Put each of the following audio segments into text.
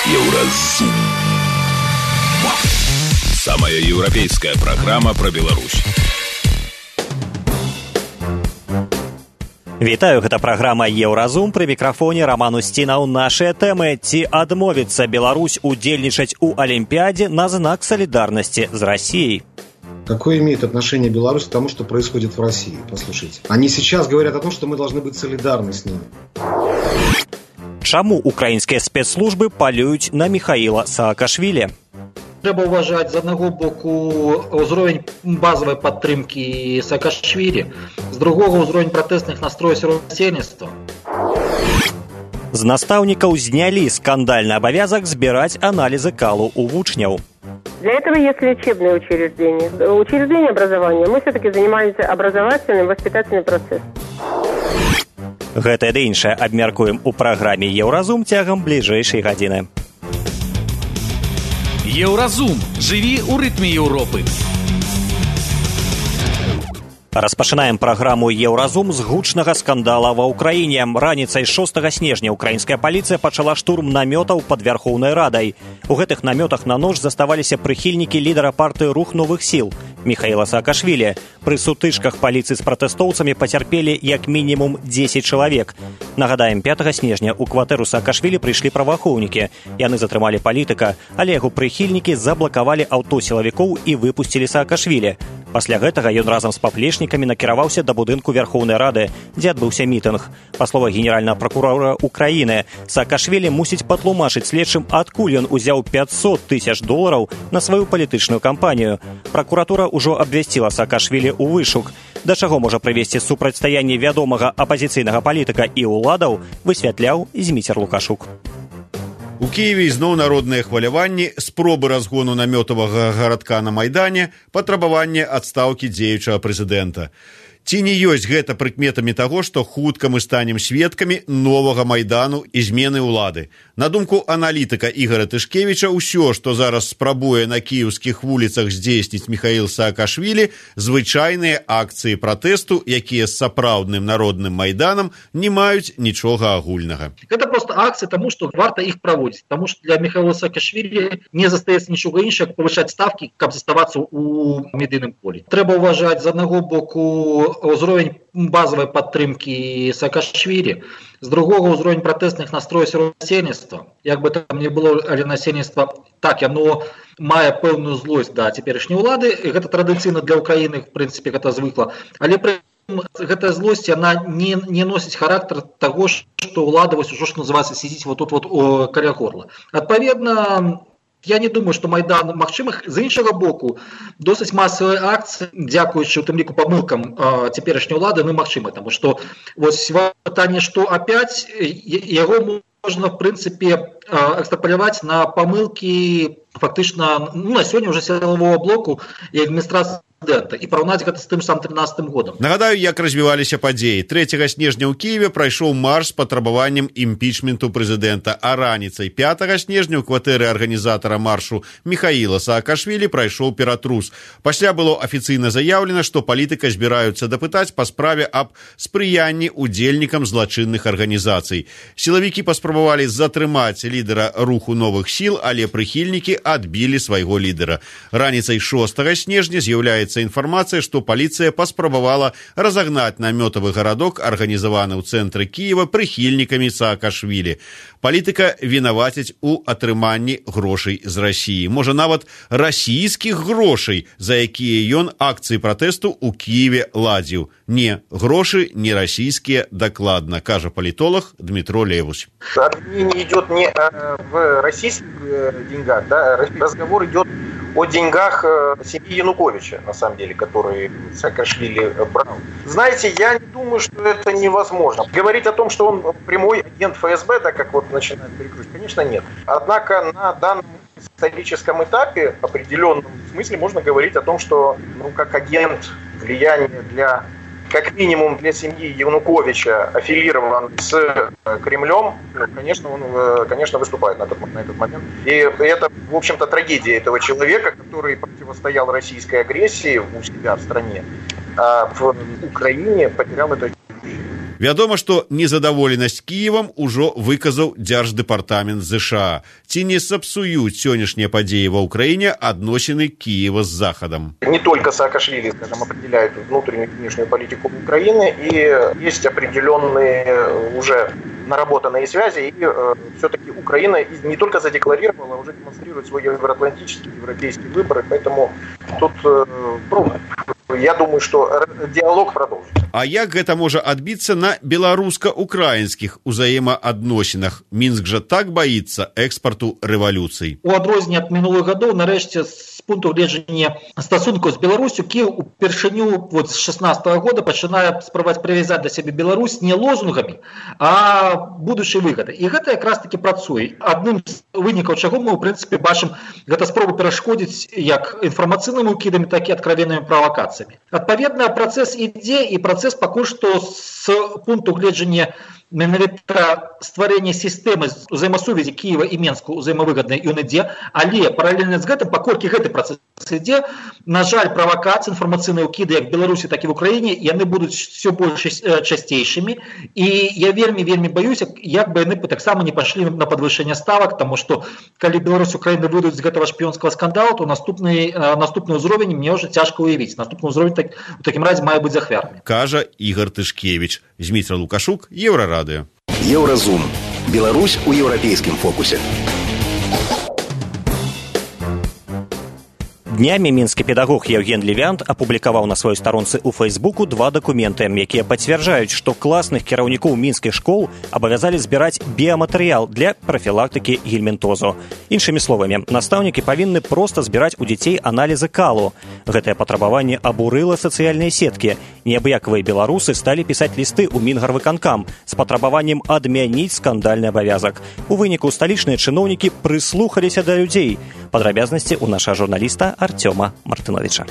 Еўразум. Самая европейская программа про Беларусь. Вітаю, гэта праграма «Еўразум», пры мікрафоне Роман Устінаў. Нашыя тэмы: ці адмовіцца Беларусь удзельнічаць у Олимпиаде на знак солидарности с Россией? Какое имеет отношение Беларусь к тому, что происходит в России? Послушайте. Они сейчас говорят о том, что мы должны быть солидарны с ними. Чаму украінскія спецслужбы палююць на Михаила Саакашвілі? Трэба ўважаць з аднаго боку ўзровень базавай падтрымкі Саакашвілі, з другога ўзровень пратэстных настрояў сярод насельніцтва. З настаўнікаў знялі скандальны абавязак збіраць аналізы калу у вучняў. Для этого есть лечебные учреждения. Учреждения образования. Мы все-таки занимаемся образовательным, воспитательным процессом. Гэта ды іншае абмяркуем у праграме «Еўразум» цягам бліжэйшай гадзіны. Еўразум. Жыві ў рытме Еўропы. Распачынаем праграму «Еўразум» з гучнага скандала ва ўкраіне. Раніцай 6 снежня украінская паліцыя пачала штурм намётаў пад Вярхоўнай Радай. У гэтых намётах на ноч заставаліся прыхільнікі лідара партыі «Рух новых сіл» Михаила Саакашвілі. Пры сутычках паліцыі з пратэстоўцамі пацярпелі як мінімум 10 чалавек. Нагадаем, 5 снежня ў кватэру Саакашвілі прыйшлі праваахоўнікі. Яны затрымалі палітыка, але яго прыхільнікі заблакавалі аўто сілавікоў і выпусцілі Саакашвілі. Пасля гэтага ён разам з паплечнікамі накіраваўся да будынку Верхоўнай Рады, дзе адбыўся мітынг. Па словах генеральнага пракурора Украіны, Саакашвілі мусіць патлумачыць следчым, адкуль ён узяў $500 000 на сваю палітычную кампанію. Пракуратура ўжо абвясціла Саакашвілі ў вышук. Да чаго можа прывесці супрацьстаянне вядомага апазіцыйнага палітыка і ўладаў, высвятляў Зміцер Лукашук. У Киеве ізноў народныя хваляванні, спробы разгону намётавага гарадка на Майдане, патрабаванне адстаўкі дзеючага прэзідэнта. Ці не ёсць гэта прыкметамі таго, што хутка мы станем сведкамі новага Майдану і змены ўлады? На думку аналітыка Ігора Тышкевіча, усё, што зараз спрабуе на кіеўскіх вуліцах здзейсніць Михаил Саакашвілі, звычайныя акцыі пратэсту, якія з сапраўдным народным Майданам не маюць нічога агульнага. Гэта проста акцыі, таму што варта іх праводзіць, таму што для Михаила Саакашвілі не застаецца нічога іншага, як павышаць ставкі, каб заставацца ў медыйным полі. Трэба ўважаць з аднаго боку ўзровень базавай падтрымкі Саакашвілі, з другога ўзровень пратэстных настрояў сярод насельніцтва. Як бы там не было, але насельніцтва так, яно мае пэўную злосць да цяперашняй улады, і гэта традыцыйна для Украіны, в прынцыпе, гэта звыкла. Але пры гэтая злосць, яна не носіць характар таго, што ўлада вось ужо, што называецца, сидзіць вот тут вот каля горла. Адпаведна, я не думаю, што Майдан магчымых. З іншага боку, досыць масавыя акцыі, дзякуючы у тым ліку памылкам цяперашняй улады, мы магчымы, таму што вось пытанне, што апять, яго можна, в прынцыпе, экстраполяваць на памылкі фактычна, на сёння ўжо сілавога блоку і адміністрацыі і параўнаць гэта з тым самым 13 годам. Нагадаю, як развіваліся падзеі. 3 снежня ў Киеве прайшоў марш з патрабаваннем імпічменту прэзідэнта, а раніцай 5 снежня ў кватэры арганізатара маршу Михаила Саакашвілі прайшоў ператрус. Пасля было афіцыйна заяўлена, што палітыка збіраюцца дапытаць па справе аб спрыянні удзельнікам злачынных арганізацый. Сілавікі паспрабавалі затрымаць лідара руху новых сіл, але прыхільнікі адбілі свайго лідара. Раніцай 6 снежня з'яўляецца інфармацыя, што паліцыя паспрабавала разагнаць намётавы гарадок, арганізаваны ў цэнтры Кіева прыхільнікамі Саакашвілі. Палітыка вінаваціць у атрыманні грошай з Расіі. Можа, нават расійскіх грошай, за якія ён акцыі пратэсту ў Кіеве ладзіў. Не, грошы не расійскія дакладна, кажа палітолог Дмитро Левусь. Обвинение идет не в российских деньгах, да? Разговор идет о деньгах семьи Януковича, на самом деле, которые Саакашвили брал. Знаете, я не думаю, что это невозможно. Говорить о том, что он прямой агент ФСБ, так как вот начинает перекручивать, конечно, нет. Однако на данном историческом этапе в определенном смысле можно говорить о том, что как агент влияния для, как минимум для семьи Януковича, аффилирован с Кремлем, конечно, он, конечно, выступает на этот момент. И это, в общем-то, трагедия этого человека, который противостоял российской агрессии у себя в стране, а в Украине потерял это. Вядома, што незадаволенасць Кіевам ужо выказаў Дзярждэпартамент ЗША. Ці не сапсуюць сённяшнія падзеі ва Ўкраіне адносіны Киева с Западом? Не только Саакашвили, скажем, определяют внутреннюю и внешнюю политику Украины, и есть определенные уже наработанные связи, и все-таки Украина не только задекларировала, а уже демонстрирует свой евроатлантический, европейский выбор, поэтому тут я думаю, что диалог продолжится. А як гэта можа адбіцца на беларуска-украінскіх узаемаадносінах? Мінск жа так баіцца экспарту рэвалюцый. У адрозненне ад мінулых гадоў, нарэшце, з пункту гледжання стасункаў з Беларусю, Кіев упершыню з 16-го года пачынае спрабаваць прывязаць да сябе Беларусь не лозунгамі, а будучай выгодай. І гэта якраз таки працуе. Адным з вынікаў чаго мы, у прынцыпе, бачым, гэта спробу перашкодзіць як інфармацыйнымі ўкідамі, так і адкровеннымі правакацыямі. Адпаведна, працэс ідзе, і працэс пакуль што з пункту гледжання менавіта стварэння сістэмы ўзаемасувязі Кіева і Менску ўзаемавыгаднай ён ідзе, але паралельна з гэтым, паколькі гэты працэс ідзе, на жаль, правакацыі, інфармацыйныя ўкіды як в Беларусі, так і в Украіне, яны будуць все больш часцейшымі, і я вельмі баюся, як бы яны таксама не пайшлі на падвышэнне ставак, таму што калі Беларусь і Украіна выйдуць з гэтага шпіёнскага скандалу, то наступны ўзровень мне ўжо цяжка ўявіць. Наступны ўзровень у такім разе мае быць ахвярны. Кажа Ігор Тышкевич. Зміцер Лукашук, Еўрарадыё. Еўразум. Беларусь у еўрапейскім фокусе. Днямі мінскі педагог Евген Левянт апублікаваў на сваёй старонцы ў Фейсбуку 2 дакументы, якія пацвярджаюць, што класных кіраўнікоў мінскіх школ абавязалі збіраць біяматэрыял для прафілактыкі гельмінтозу. Іншымі словамі, настаўнікі павінны проста збіраць у дзяцей аналізы калу. Гэтае патрабаванне абурыла сацыяльныя сеткі. Неабыякавыя беларусы сталі пісаць лісты ў Мінгарвыканкам з патрабаваннем адмяніць скандальны абавязак. У выніку сталічныя чыноўнікі прыслухаліся да людзей. Падрабязнасці ў наша журналіста Артёма Мартыновича.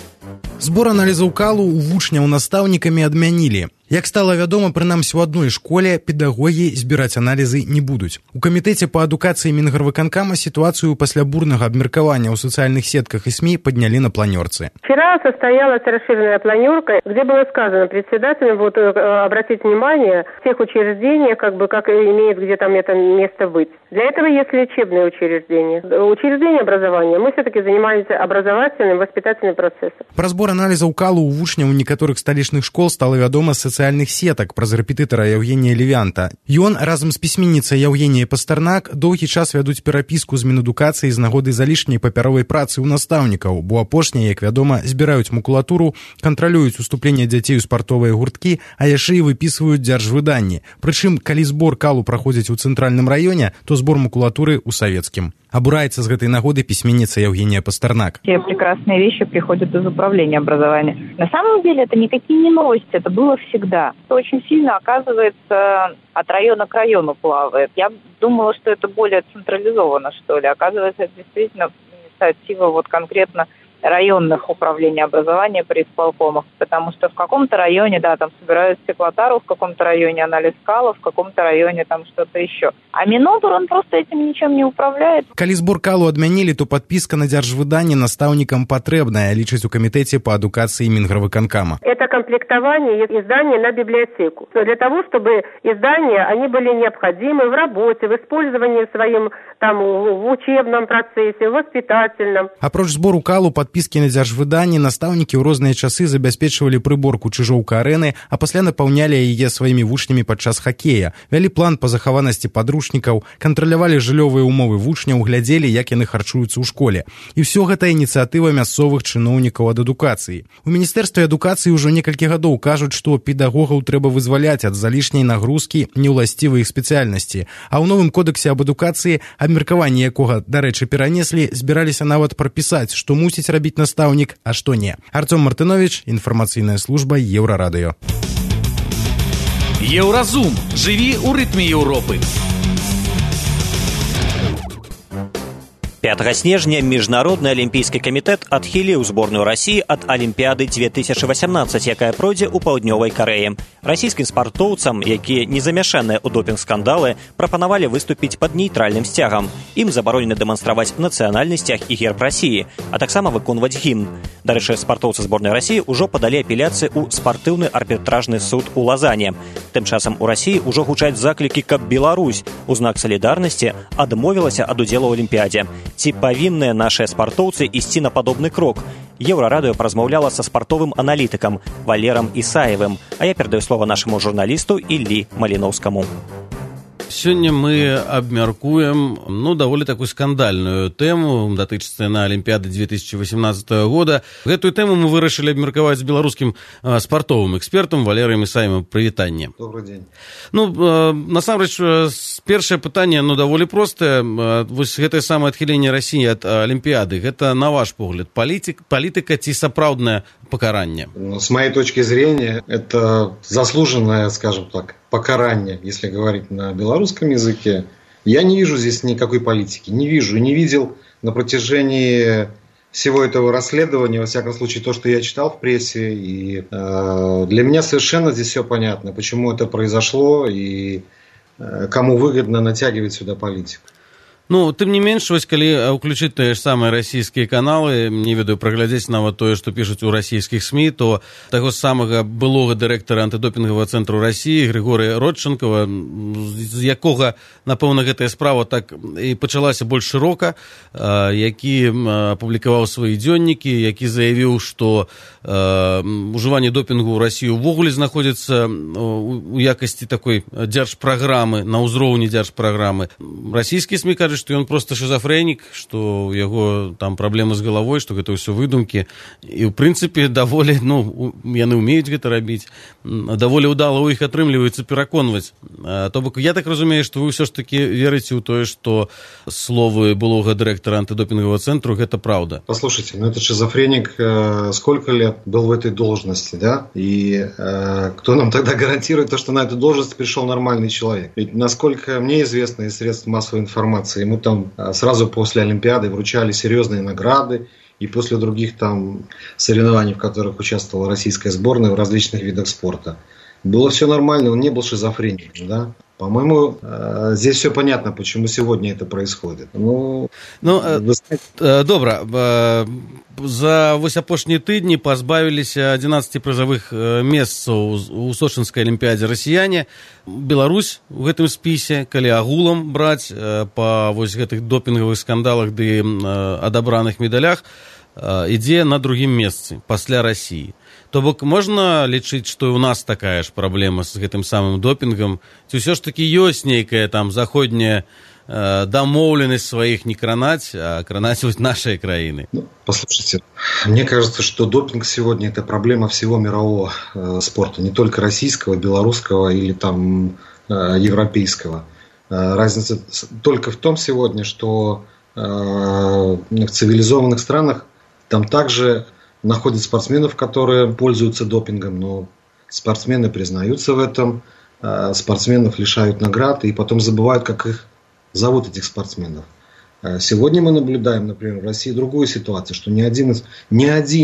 Збор аналізаў калу у вучняў настаўнікамі адмянілі. Як стала вядома, прынамсі у адной школе педагогі збіраць аналізы не будуць. У камітэце па адукацыі Мінгарвыканкама ситуацию пасля бурнага абмеркавання ў сацыяльных сетках и СМИ подняли на планерцы. Вчера состоялась расширенная планерка, где было сказано председателям обратить внимание в тех учреждениях, как имеет где там это место быть. Для этого есть лечебные учреждения. Учреждения образования мы все-таки занимаемся образовательным, воспитательным процессом. Про збор аналізаў калу у вучняў некаторых сталічных школ стала вядома з сацыяльных сетак праз рэпетытара Евгения Левянта. Ён разам з пісьменніцай Евгенией Пастарнак доўгі час вядуць перапіску з Мінадукацыі з нагоды залішняй папяровай працы ў настаўнікаў, бо апошнія, як вядома, збіраюць макулатуру, кантралююць уступленне дзяцей у спартовыя гурткі, а яшчэ і выпісваюць дзяржвыданні. Прычым, калі збор калу праходзіць у цэнтральным раёне, то збор макулатуры ў савецкім. Обурается с этой нагоды письменница Евгения Пастернак. Все прекрасные вещи приходят из управления образования. На самом деле это никакие не новости, это было всегда. Это очень сильно, оказывается, от района к району плавает. Я думала, что это более централизовано, что ли. Оказывается, это действительно инициатива конкретно районных управлений образования при исполкомах, потому что в каком-то районе, там собирают стеклотару, в каком-то районе анализ кала, в каком-то районе там что-то еще. А Минобр, он просто этим ничем не управляет. Калі збор калу адмянілі, то подписка на дзяржвыданне настаўнікам патрэбная, лічыць у камітэце по адукацыі Мінгарвыканкама. Это комплектование изданий на библиотеку. Для того, чтобы издания, они были необходимы в работе, в использовании своим в учебном процессе, в воспитательном. Апроч збору калу подписки на дзяржвыданні настаўнікі ў розныя часы забяспечвалі прыборку чыжоўка арэны, а пасля напаўнялі яе сваімі вучнямі падчас хакея, вялі план па захаванасці падручнікаў, кантралявалі жыллёвыя умовы вучняў, глядзелі, як яны харчуюцца ў школе. І ўсё гэта ініцыятыва мясцовых чыноўнікаў ад адукацыі. У міністэрстве адукацыі ўжо некалькі гадоў кажуць, што педагогаў трэба вызваляць ад залішняй нагрузкі неўласцівай іх спецыяльнасці, а ў новым кодексе аб адукацыі, абмеркаванне якога, дарэчы, перанеслі, збіраліся нават прапісаць, што мусіць рабіць настаўнік, а што не. Артём Мартынович, інфармацыйная служба Еўрарадыё. Еўразум. Жыві ў рытме Еўропы. 5 снежня Міжнародны алімпійскі камітэт адхіліў зборную Расіі ад Алімпіяды 2018, якая пройдзе ў Паўднёвай Карэі. Расійскім спартоўцам, якія не замяшаныя ў допінг-скандалы, прапанавалі выступіць пад нейтральным сцягам. Ім забаронена дэманстраваць нацыянальны сцяг і герб Расіі, а таксама выконваць гімн. Дарэчы, спартоўцы зборнай Расіі ўжо падалі апеляцыі ў спартыўны арбітражны суд у Лазане. Тым часам у Расіі ўжо гучаць заклікі, каб Беларусь у знак салідарнасці адмовілася ад удзелу ў Алімпіядзе. Ці павінныя нашыя спартоўцы ісці на падобны крок? Еўрарадыё празмаўляла са спартовым аналітыкам Валерам Ісаевым, а я перадаю слова нашаму журналісту Іллі Маліноўскаму. Сёння мы абмяркуем даволі такую скандальную тэму, датычыцца на Алімпіяды 2018 года. Гэтую тэму мы вырашылі абмеркаваць з беларускім спартовым экспертам Валерыем Ісаевым. Прывітанне. Добрый дзень. Насамрэч, першае пытанне даволі простае. Вось гэтае самае адхіленне Расіі ад Алімпіяды, гэта, на ваш погляд, палітыка ці сапраўднае покаранне? С моей точки зрения, это заслуженное, скажем так, покарание, если говорить на белорусском языке. Я не вижу здесь никакой политики. Не вижу и не видел на протяжении всего этого расследования, во всяком случае, то, что я читал в прессе. И для меня совершенно здесь все понятно, почему это произошло и кому выгодно натягивать сюда политику. Тым не менш, вось калі ўключыць тыя ж самыя расійскія каналы, не ведаю, праглядзець нават тое, што пішуць у расійскіх СМІ, то таго самага былога дырэктара антыдопінгавага цэнтру Расіі Григорія Родченкова, з якога, напэўна, гэтая справа так і пачалася больш шырока, які апублікаваў свае дзённікі, які заявіў, што ужыванне допінгу ў Расіі ўвогуле знаходзіцца у якасці такой дзяржпраграмы, на ўзроўні дзяржпраграмы. Расійскія СМІ кажуць, што ён проста шизофрэнік, што у яго там праблемы з галавой, што гэта ўсё выдумкі. І, ў прынцыпе, даволі, яны ўмеюць гэта рабіць, даволі ўдала ў іх атрымліваецца пераконваць. То бок, я так разумею, што вы ўсё ж такі верыце ў тое, што словы былога дырэктара антидопингового центру, гэта правда. Послушайте, этот шизофреник сколько лет был в этой должности, да? И кто нам тогда гарантирует то, что на эту должность пришел нормальный человек? Ведь, насколько мне известно из средств массовой информации, ему там сразу после Олимпиады вручали серьезные награды, и после других там соревнований, в которых участвовала российская сборная в различных видах спорта. Было все нормально, он не был шизофреником, да? По-моему, здесь все понятно, почему сегодня это происходит. Добра. За вось апошнія тыдні пазбавіліся 11 прызавых месцаў у сочынскай алімпіядзе расіяне. Беларусь у гэтым спісе, калі агулам браць па вось гэтых допінгавых скандалах ды адабраных медалях, ідзе на другім месцы пасля Расіі. То бок можна лічыць, што і ў нас такая ж праблема з гэтым самым допінгам? Ці ўсё ж такі ёсць нейкая там заходняя домовленность своих не кранать, а кранать вот нашей краины? Послушайте, мне кажется, что допинг сегодня это проблема всего мирового спорта, не только российского, белорусского или там европейского. Разница только в том сегодня, что в цивилизованных странах там также находят спортсменов, которые пользуются допингом, но спортсмены признаются в этом, спортсменов лишают наград и потом забывают, как их зовут, этих спортсменов. Сегодня мы наблюдаем, например, в России другую ситуацию, что ни один,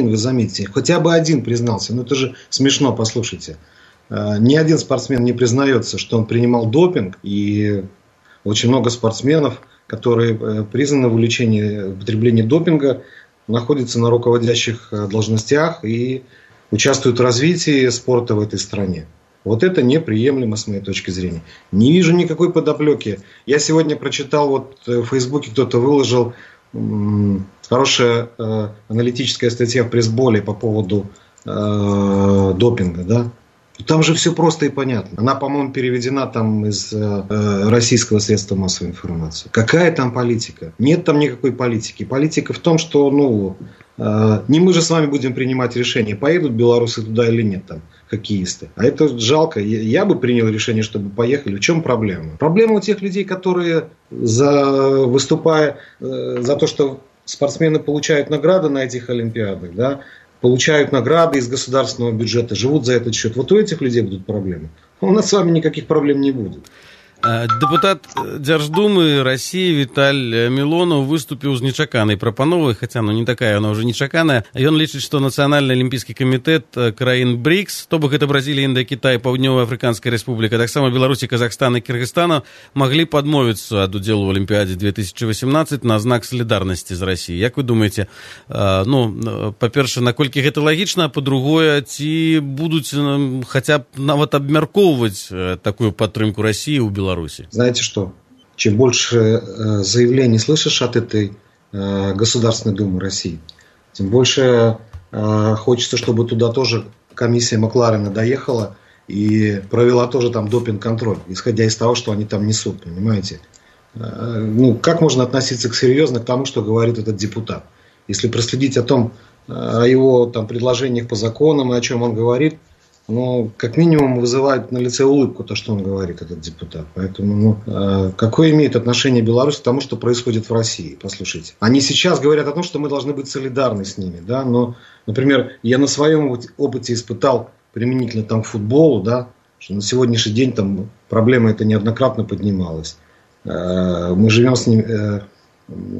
вы заметите, хотя бы один признался, это же смешно, послушайте. Ни один спортсмен не признается, что он принимал допинг, и очень много спортсменов, которые признаны в употреблении допинга, находятся на руководящих должностях и участвуют в развитии спорта в этой стране. Вот это неприемлемо с моей точки зрения. Не вижу никакой подоплеки. Я сегодня прочитал, в Фейсбуке кто-то выложил хорошая аналитическая статья в пресс-боле по поводу допинга, да? Там же все просто и понятно. Она, по-моему, переведена там из российского средства массовой информации. Какая там политика? Нет там никакой политики. Политика в том, что, не мы же с вами будем принимать решение, поедут белорусы туда или нет, там, хоккеисты. А это жалко. Я бы принял решение, чтобы поехали. В чем проблема? Проблема у тех людей, которые, выступая за то, что спортсмены получают награды на этих олимпиадах, да, получают награды из государственного бюджета, живут за этот счет. Вот у этих людей будут проблемы. У нас с вами никаких проблем не будет. Дэпутат Дзярждумы России Віталь Мілонаў выступіў з нечаканай прапановай, хаця не такая, она ўжо нечаканая. Ён лічыць, што Нацыянальны алімпійскі камітэт краін БРИКС, то бок гэта Бразілія, Індыя, Кітай, Паўднёва-Афрыканская рэспубліка, таксама Беларусі, Казахстан і Кыргызстана маглі падмовіцца ад удзелу ў Алімпіядзе 2018 на знак салідарнасці з Расіяй. Як вы думаеце, па-перша, наколькі гэта лагічна, а па-другое, ці будуць хаця б нават абмяркоўваць такую падтрымку Расіі ў Беларусі? Знаете что? Чем больше заявлений слышишь от этой Государственной Думы России, тем больше хочется, чтобы туда тоже комиссия Макларена доехала и провела тоже там допинг-контроль, исходя из того, что они там несут, понимаете? Как можно относиться серьезно к тому, что говорит этот депутат? Если проследить о его там предложениях по законам и о чем он говорит, как минимум вызывает на лице улыбку то, что он говорит, этот депутат. Поэтому, какое имеет отношение Беларусь к тому, что происходит в России? Послушайте. Они сейчас говорят о том, что мы должны быть солидарны с ними, да, но, например, я на своем опыте испытал применительно там к футболу, да, что на сегодняшний день там проблема эта неоднократно поднималась. Мы живем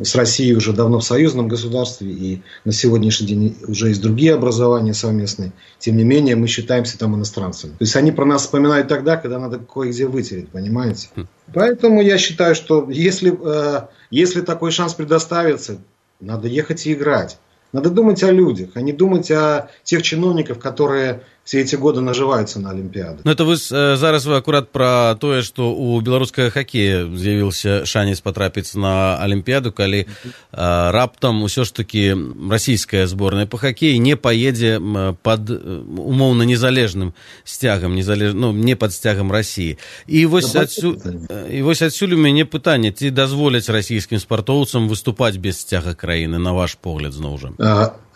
с Россией уже давно в союзном государстве, и на сегодняшний день уже есть другие образования совместные. Тем не менее, мы считаемся там иностранцами. То есть они про нас вспоминают тогда, когда надо кое-где вытереть, понимаете? Поэтому я считаю, что если такой шанс предоставится, надо ехать и играть. Надо думать о людях, а не думать о тех чиновников, которые все эти годы наживаются на Олимпиаду. Это зараз вы аккурат про тое, што у беларускага хакея з'явіўся шанец патрапіць на Олимпиаду, калі раптам усё ж таки расійская зборная по хакеі не паедзе под умоўна незалежным сцягам, не под сцягам России. І вось адсюль у мяне пытанне, ці дазволяць расійскім спартоўцам выступаць без сцяга краіны, на ваш погляд, зноў жа?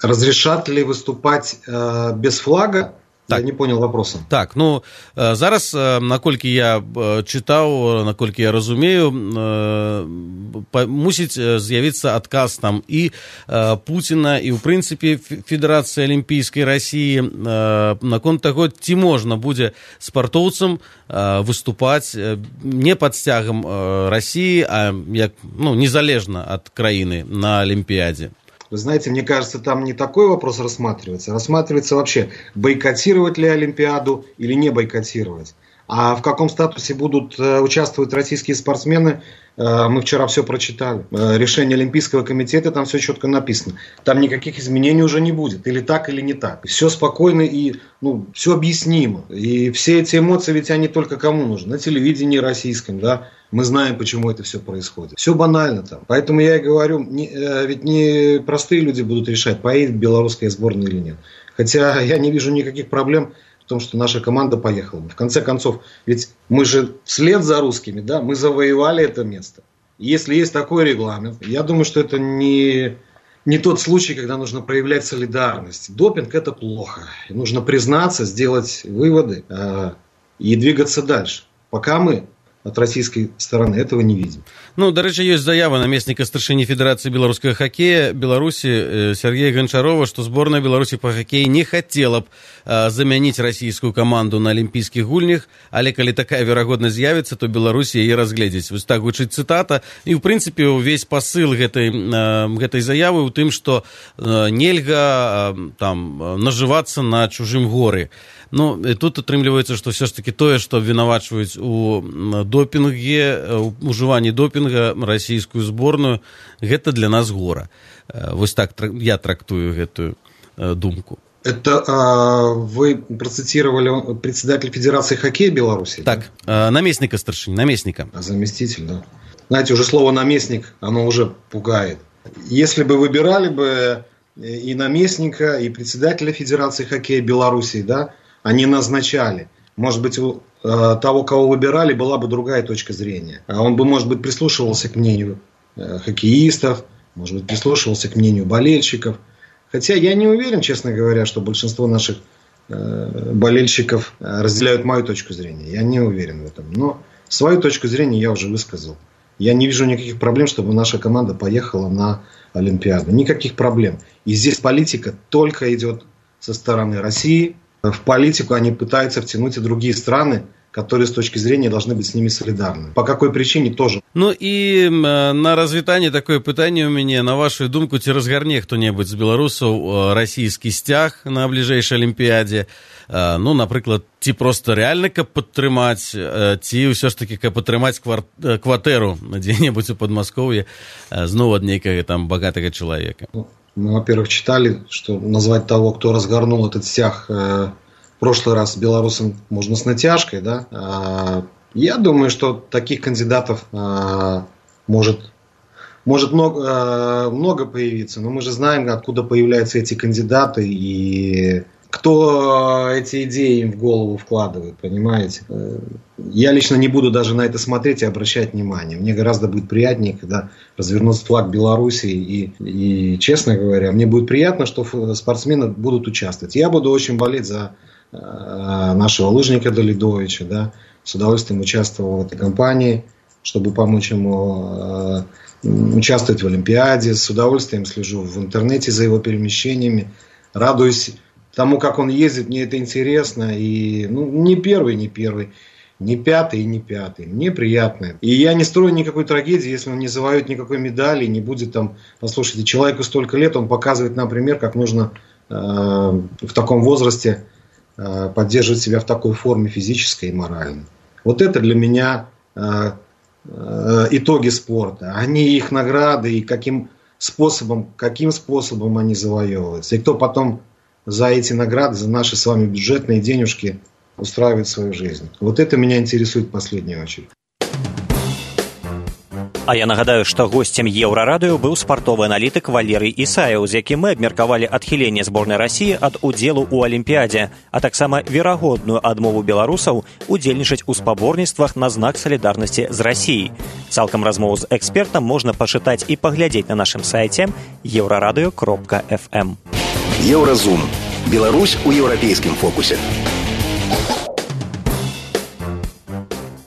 Разрешат ли выступать без флага? Так. Я не понял вопроса. Так, зараз, наколькі я чытаў, наколькі я разумею, мусіць з'явіцца адказ там і Пуціна, і ў прынцыпе Федэрацыі Алімпійскай Расіі наконт таго, ці можна будзе спартоўцам выступаць не пад сцягам Расіі, а незалежна ад краіны на Олимпиаде. Вы знаете, мне кажется, там не такой вопрос рассматривается. Рассматривается вообще, бойкотировать ли Олимпиаду или не бойкотировать. А в каком статусе будут участвовать российские спортсмены, мы вчера все прочитали. Решение Олимпийского комитета, там все четко написано. Там никаких изменений уже не будет. Или так, или не так. Все спокойно и все объяснимо. И все эти эмоции, ведь они только кому нужны? На телевидении российском, да? Мы знаем, почему это все происходит. Все банально там. Поэтому я и говорю, ведь не простые люди будут решать, поедет белорусская сборная или нет. Хотя я не вижу никаких проблем в том, что наша команда поехала. В конце концов, ведь мы же вслед за русскими, да, мы завоевали это место. И если есть такой регламент, я думаю, что это не тот случай, когда нужно проявлять солидарность. Допинг – это плохо. И нужно признаться, сделать выводы и двигаться дальше. Пока мы от российской стороны этого не видим. До рэчы, ёсць заява намесніка старшыні Федэрацыі беларускага хакея Беларусі Сергея Гончарова, што зборная Беларусі па хакеі не хацела б замяніць расійскую каманду на алімпійскіх гульнях, але калі такая верагоднасць з'явіцца, то Беларусь яе разгледзіць. Вось так гучыць цытата. І, ў прынцыпе, увесь пасыл гэтай заявы ў тым, што нельга нажывацца на чужым горы. Тут атрымліваецца, што ўсё ж такі тое, што абвінавачваюць у допінге, у ужыванні допінга расійскую зборную, гэта для нас гора. Вось так я трактую гэтую думку. Это вы процитировали председателя Федерации хоккея Беларуси? Так, наместника старшины, наместника. Заместитель, да. Знаете, уже слово наместник, оно уже пугает. Если бы выбирали бы и наместника, и председателя Федерации хоккея Беларуси, да, они назначали. Может быть, у того, кого выбирали, была бы другая точка зрения. Он бы, может быть, прислушивался к мнению хоккеистов, может быть, прислушивался к мнению болельщиков. Хотя я не уверен, честно говоря, что большинство наших болельщиков разделяют мою точку зрения. Я не уверен в этом. Но свою точку зрения я уже высказал. Я не вижу никаких проблем, чтобы наша команда поехала на Олимпиаду. Никаких проблем. И здесь политика только идет со стороны России. В политику они пытаются втянуть и другие страны, которые с точки зрения должны быть с ними солидарны. По какой причине тоже. Ну і на развітанне такое пытанне ў мяне, на вашу думку, ці разгарне хто-небудзь з беларусаў расійскі сцяг на бліжэйшай алімпіядзе? Ну, напрыклад, ці проста рэальна, каб падтрымаць, ці ўсё ж такі, каб падтрымаць кватэру дзе-небудзь у Падмаскоўі зноў ад нейкага там багатага чалавека? Мы, во-первых, читали, что назвать того, кто разгорнул этот стяг в прошлый раз белорусом можно с натяжкой, да. Я думаю, что таких кандидатов может много появиться, но мы же знаем, откуда появляются эти кандидаты и кто эти идеи им в голову вкладывает, понимаете? Я лично не буду даже на это смотреть и обращать внимание. Мне гораздо будет приятнее, когда развернется флаг Беларуси. И, честно говоря, мне будет приятно, что спортсмены будут участвовать. Я буду очень болеть за нашего лыжника Далидовича. Да? С удовольствием участвовал в этой кампании, чтобы помочь ему участвовать в Олимпиаде. С удовольствием слежу в интернете за его перемещениями. Радуюсь тому, как он ездит, мне это интересно. И не первый, не пятый и не пятый. Мне приятно. И я не строю никакой трагедии, если он не завоюет никакой медали, не будет там... Послушайте, человеку столько лет, он показывает нам пример, как нужно в таком возрасте поддерживать себя в такой форме физической и моральной. Вот это для меня итоги спорта. Они их награды и каким способом они завоевываются. И кто потом за эти награды, за наши с вами бюджетные денежки устраивает свою жизнь. Вот это меня интересует в последнюю очередь. А я нагадаю, што госцем Еўрарадыё быў спартовы аналітык Валерый Ісаеў, з якім мы абмеркавалі адхіленне зборнай Расіі ад удзелу ў Алімпіядзе, а таксама верагодную адмову беларусаў удзельнічаць у спаборніцтвах на знак салідарнасці з Расіяй. Цалкам размову з экспертам можна пачытаць і паглядзець на нашым сайце euradio.fm. Еўразум. Беларусь у еўрапейскім фокусе.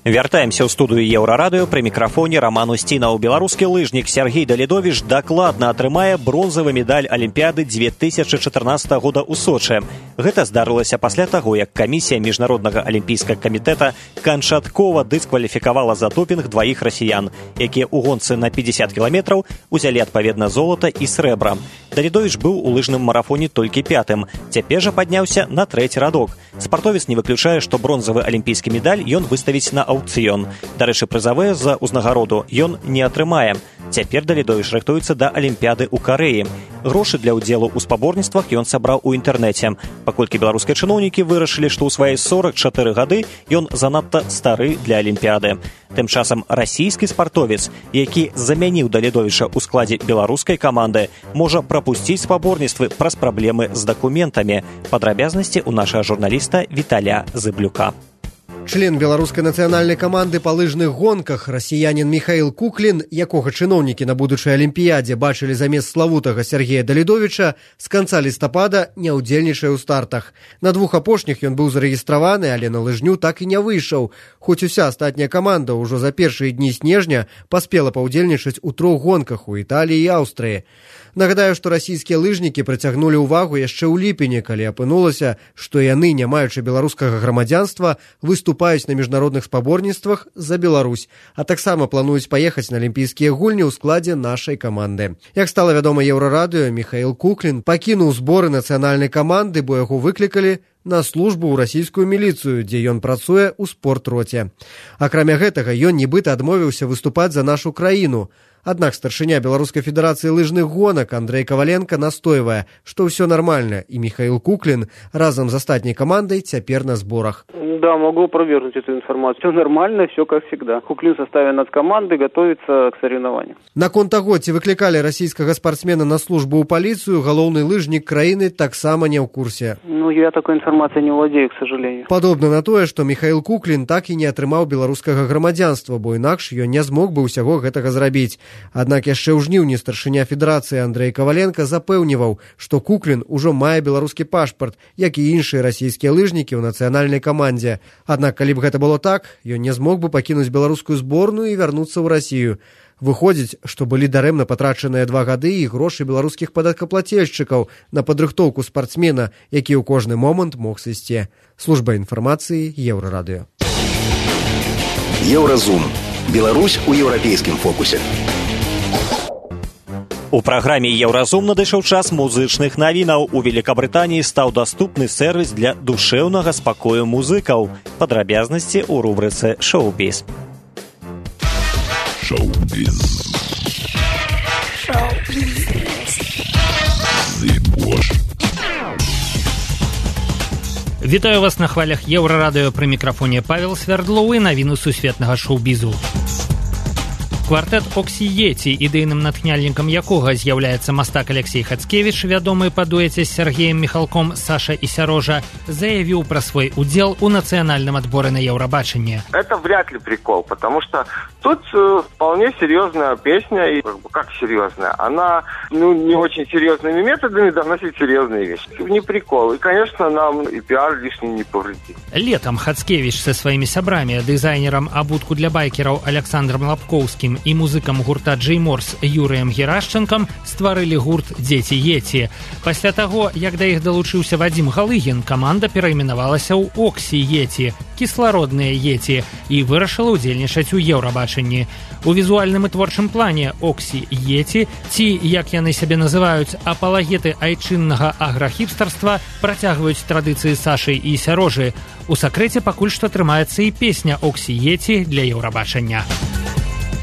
Вяртаемся ў студыю Еўрарадыё, пры мікрафоне Роман Усцінаў. Беларускі лыжнік Сергей Далидович дакладна атрымае бронзавы медаль Алімпіяды 2014 года ў Сочы. Гэта здарылася пасля таго, як камісія міжнароднага алімпійскага камітэта канчаткова дыскваліфікавала за допінг дваіх расіян, якія ў гонцы на 50 кіламетраў узялі адпаведна золата і срэбра. Далидович быў у лыжным марафоне толькі пятым, цяпер жа падняўся на трэці радок. Спартовец не выключае, што бронзавы алімпійскі медаль ён выставіць на аўкцыён. Дарэчы, прызавыя за ўзнагароду ён не атрымае. Цяпер Далидович рыхтуецца да Алімпіяды ў Карэі. Грошы для ўдзелу ў спаборніцтвах ён сабраў у інтэрнэце. Паколькі беларускія чыноўнікі вырашылі, што ў свае 44 гады ён занадта стары для Алімпіяды. Тым часам расійскі спартовец, які замяніў Далидовича ў складзе беларускай каманды, можа прапусціць спаборніцтвы праз праблемы з дакументамі. Падрабязнасці ў нашага журналіста Віталя Зыблюка. Член беларускай нацыянальнай каманды па лыжных гонках, расіянін Михаил Куклин, якога чыноўнікі на будучай алімпіядзе бачылі замест славутага Сергея Далидовича, з канца лістапада не ўдзельнічае ў стартах. На двух апошніх ён быў зарэгістраваны, але на лыжню так і не выйшаў. Хоць уся астатняя каманда ўжо за першыя дні снежня паспела паўдзельнічаць у 3 гонках у Італіі і Аўстрыі. Нагадаю, што расійскія лыжнікі прыцягнулі ўвагу яшчэ ў ліпені, калі апынулася, што яны, не маючы беларускага грамадзянства, выступаюць на міжнародных спаборніцтвах за Беларусь, а таксама плануюць паехаць на алімпійскія гульні ў складзе нашай каманды. Як стала вядома Еўрарадыё, Михаил Куклин пакінуў зборы нацыянальнай каманды, бо яго выклікалі на службу ў расійскую міліцыю, дзе ён працуе ў спортроце. Акрамя гэтага, ён нібыта адмовіўся выступаць за нашу краіну. Аднак старшыня Беларускай федэрацыі лыжных гонак Андрей Коваленко настойвае, што ўсё нармальна, і Михаил Куклин разам з астатняй камандай цяпер на зборах. Да, могу опровергнуть эту информацию. Все нормально, все как всегда. Куклин в составе нацкоманды готовится к соревнованию. Наконт таго, ці выклікалі расійскага спортсмена на службу ў паліцыю, галоўны лыжнік краіны таксама не ў курсе. Я такой информацией не владею, к сожалению. Падобна на тое, што Михаил Куклин так і не атрымаў беларускага грамадзянства, бо інакш ён не змог бы ўсяго гэтага зрабіць. Аднак яшчэ ў жніўні старшыня федэрацыі Андрей Коваленко запэўніваў, што Куклин ужо мае беларускі пашпарт, як і іншыя расійскія лыжнікі ў нацыянальнай камандзе. Аднак, калі б гэта было так, ён не змог бы пакінуць беларускую зборную і вярнуцца ў Расію. Выходзіць, што былі дарэмна патрачаныя 2 гады і грошы беларускіх падаткаплацельшчыкаў на падрыхтоўку спартсмена, які ў кожны момант мог сысці. Служба інфармацыі Еўрарадыё. Еўразум. Беларусь у еўрапейскім фокусе. У праграме «Еўразум» надышоў час музычных навінаў. У Великабрытаніі стаў даступны сервіс для душэўнага спакою музыкаў. Падрабязнасці ў рубрыцы «Шоу-біз». Шоу-біз. Вітаю вас на хвалях Еўрарадыё, пры мікрафоне Павел Свярдлоў і навіны сусветнага шоу-бізу. Квартэт «Оксі Йеці», ідэйным натхняльнікам якога з'яўляецца мастак Алексей Хацкевіч, вядомы па дуэце з Сергеем Михалком «Саша и Сережа», заявил про свой удел у национальном отборе на Евробачение. Это вряд ли прикол, потому что тут вполне серьезная песня, и как серьезная, она не очень серьезными методами доносит серьезные вещи. Не прикол, и, конечно, нам и пиар лишний не повредит. Летом Хацкевич со своими сябрами, дизайнером обутку для байкеров Александром Лапковским и музыкам гурта Джей Морс Юрыем Герашченком стварылі гурт «Дзеці Йеці». Пасля таго, як да іх далучыўся Вадзім Галыгін, каманда перайменавалася ў «Оксі Йеці», кіслародныя Йеці, і вырашыла ўдзельнічаць у Еўрабачанні. У візуальным і творчым плане «Оксі Йеці», ці, як яны сябе называюць, апалагеты айчыннага аграхіпстарства, працягваюць традыцыі Сашы і Сярожы. У сакрэце пакуль што трымаецца і песня «Оксі Йеці» для Еўрабачання.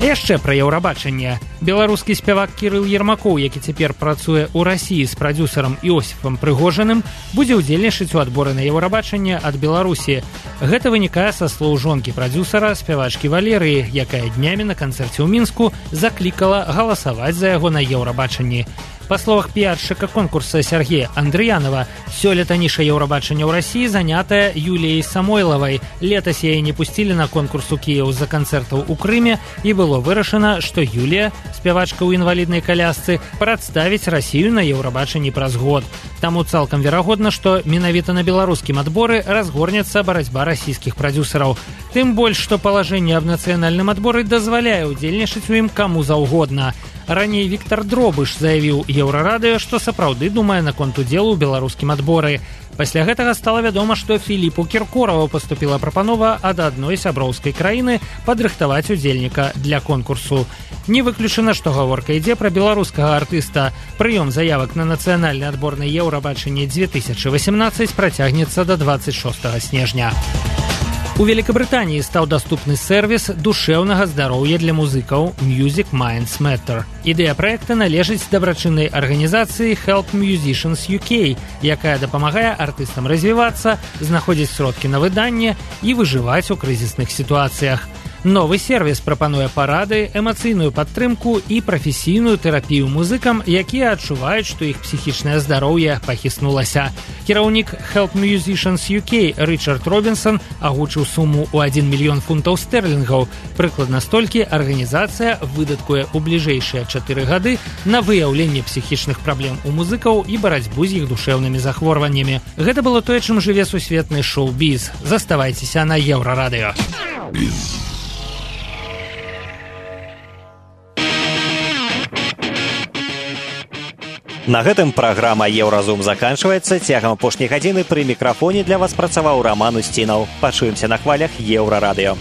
Яшчэ пра Еўрабачанне. Беларускі спявак Кірыл Ермакоў, які цяпер працуе ў Расіі з прадзюсарам Іосіфам Прыгожаным, будзе ўдзельнічаць у адборы на Еўрабачанне ад Беларусі. Гэта вынікае са слоў жонкі прадзюсара, спявачкі Валерыі, якая днямі на канцэрце ў Мінску заклікала галасаваць за яго на Еўрабачанні. Па словах піаршчыка конкурса Сергея Андрыянова, сёлета ніша Еўрабачання ў Расіі занятая Юліяй Самойлавай. Летась яе не пусцілі на конкурс у Кіеў з-за канцэртаў у Крыме, і было вырашана, што Юлія, спявачка ў інваліднай калясцы, прадставіць Расію на Еўрабачанні праз год. Таму цалкам верагодна, што менавіта на беларускім адборы разгорнецца барацьба расійскіх прадзюсараў. Тым больш, што палажэнне аб нацыянальным адборы дазваляе ўдзельнічаць у ім каму заўгодна. Раней Віктор Дробыш заявіў Еўрарадыё, што сапраўды думае наконт удзелу ў беларускім адборы. Пасля гэтага стала вядома, што Філіпу Кіркораву паступіла прапанова ад адной сяброўскай краіны падрыхтаваць удзельніка для конкурсу. Не выключана, што гаворка ідзе пра беларускага артыста. Прыём заявак на нацыянальны адбор на Еўрабачанне 2018 працягнецца да 26 снежня. У Великабрытаніі стаў даступны сервіс душэўнага здароўя для музыкаў Music Minds Matter. Ідэя праекта належыць дабрачыннай арганізацыі Help Musicians UK, якая дапамагае артыстам развівацца, знаходзіць сродкі на выданне і выжываць у крызісных сітуацыях. Новы сервіс прапануе парады, эмацыйную падтрымку і прафесійную тэрапію музыкам, якія адчуваюць, што іх псіхічнае здароўе пахіснулася. Кіраўнік Help Musicians UK Рычард Робінсон агучыў суму ў 1 мільён фунтаў стэрлінгаў. Прыкладна столькі арганізацыя выдаткуе ў бліжэйшыя 4 гады на выяўленне псіхічных праблем у музыкаў і барацьбу з іх душэўнымі захворваннямі. Гэта было тое, чым жыве сусветны шоу-біз. Заставайцеся на Еўрарадыё. На гэтым праграма «Еўразум» заканчваецца. Цягам апошняй гадзіны пры мікрафоне для вас працаваў Раман Устінаў. Пачуемся на хвалях Еўрарадыё.